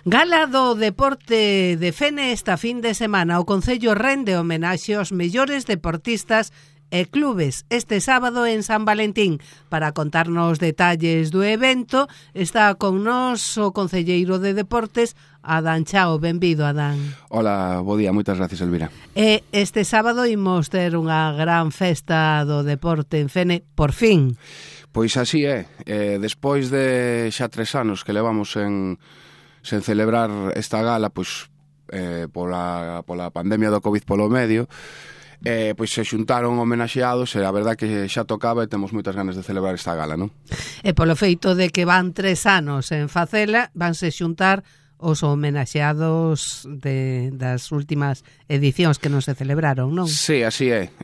Gala do Deporte de Fene esta fin de semana. O Concello rende homenaxe aos mellores deportistas e clubes este sábado en San Valentín. Para contarnos detalles do evento está con nós o concelleiro de Deportes, Adán Chao. Benvido, Adán. Hola, bo día, moitas gracias, Elvira. Este sábado imos ter unha gran festa do deporte en Fene, por fin. Pois así é, despois de xa 3 anos que levamos sen celebrar esta gala, pois pola pandemia do Covid polo medio, pois se xuntaron homenaxeados e a verdad que xa tocaba e temos moitas ganas de celebrar esta gala, non? E polo feito de que van 3 anos en facela, vanse xuntar os homenaxeados das últimas edicións que non se celebraron, non? Sí, así é.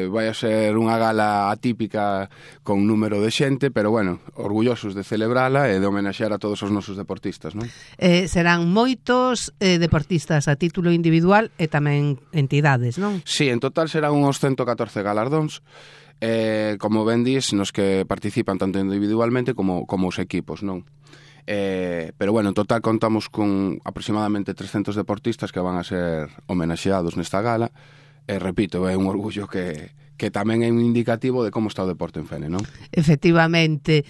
Vai a ser unha gala atípica con número de xente, pero bueno, orgullosos de celebrala e de homenaxear a todos os nosos deportistas, non? Serán moitos deportistas a título individual e tamén entidades, non? Sí, en total serán uns 114 galardóns, como ben dis, nos que participan tanto individualmente como os equipos, non? Pero bueno, en total contamos con aproximadamente 300 deportistas que van a ser homenaxeados nesta gala e repito, é un orgullo que tamén é un indicativo de como está o deporte en Fene, non? Efectivamente,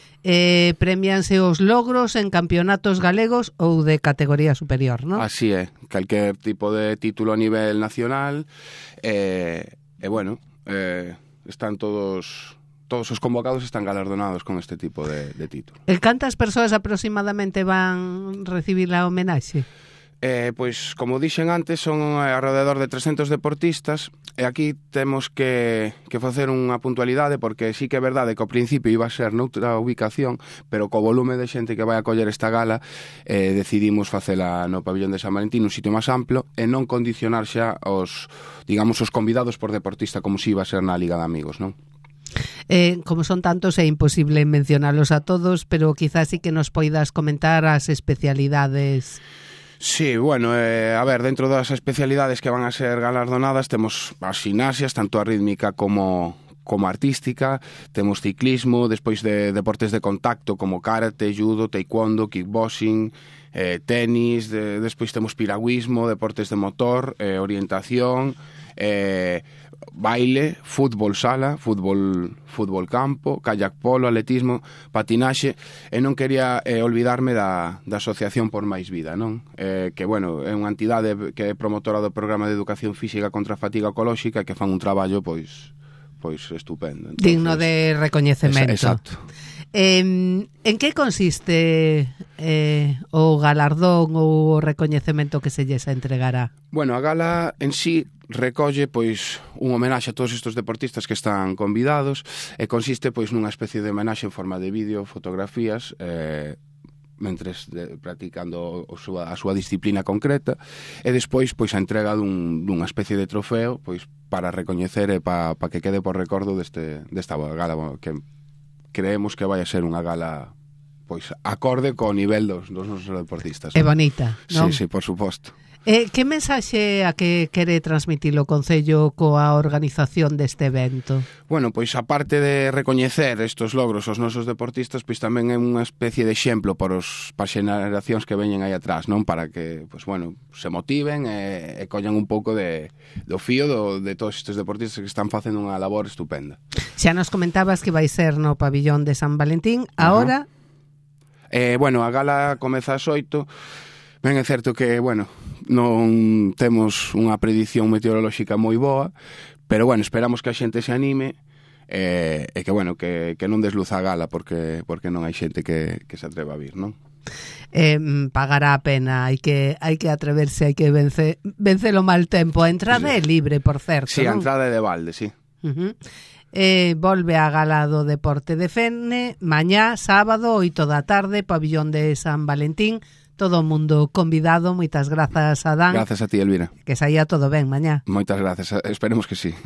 premianse os logros en campeonatos galegos ou de categoría superior, non? Así é, calquer tipo de título a nivel nacional bueno, están todos os convocados están galardonados con este tipo de título. Cantas persoas aproximadamente van recibir a homenaxe? Pois, como dixen antes, son alrededor de 300 deportistas e aquí temos que facer unha puntualidade porque sí que é verdade que ao principio iba a ser noutra ubicación, pero co volume de xente que vai a coller esta gala decidimos facela no pabillón de San Valentín, un sitio máis amplo e non condicionar xa os convidados por deportista como si iba a ser na Liga de Amigos, non? Como son tantos é imposible mencionalos a todos, pero quizás sí que nos poidas comentar as especialidades. Sí, bueno, a ver, dentro das especialidades que van a ser galardonadas temos as gimnasias, tanto a rítmica como artística, temos ciclismo, despois de deportes de contacto como karate, judo, taekwondo, kickboxing, tenis, despois temos piragüismo, deportes de motor, orientación, baile, fútbol sala, fútbol campo, kayak polo, atletismo, patinaxe, e non quería olvidarme da Asociación por Máis Vida, non? Que, bueno, é unha entidade que é promotora do programa de educación física contra a fatiga ecolóxica e que fan un traballo, pois estupendo. Entonces, digno de recoñecemento. Exacto. En que consiste o galardón ou o recoñecemento que se lles entregará? Bueno, a gala en sí recolle pois un homenaxe a todos estes deportistas que están convidados e consiste pois nunha especie de homenaxe en forma de vídeo, fotografías, mentres practicando a súa disciplina concreta e despois pois a entrega dunha especie de trofeo pois para recoñecer e para que quede por recordo desta gala que creemos que vai a ser unha gala pois acorde co nivel dos nosos deportistas. É bonita, non? Sí, por suposto. Que mensaxe a que quere transmitir o Concello coa organización deste evento? Bueno, pois aparte de recoñecer estos logros aos nosos deportistas, pois tamén é unha especie de exemplo para as xeracións que veñen aí atrás, non? Para que, pois bueno, se motiven e collan un pouco do fío de todos estes deportistas que están facendo unha labor estupenda. Xa nos comentabas que vai ser no pabillón de San Valentín, ahora? Bueno, a gala comeza ás 8. Ben, é certo que, bueno, non temos unha predición meteorolóxica moi boa, pero, bueno, esperamos que a xente se anime e que, bueno, que non desluza a gala porque non hai xente que se atreva a vir, non? Pagará a pena, hai que atreverse, hai que vencer o mal tempo. A entrada é libre, por certo, sí, non? A entrada é de balde, sí. Volve a gala do Deporte de Fene mañá, sábado, 8 da tarde, pabillón de San Valentín. Todo o mundo convidado. Moitas grazas, Adán. Grazas a ti, Elvira. Que saía todo ben mañá. Moitas grazas, esperemos que sí.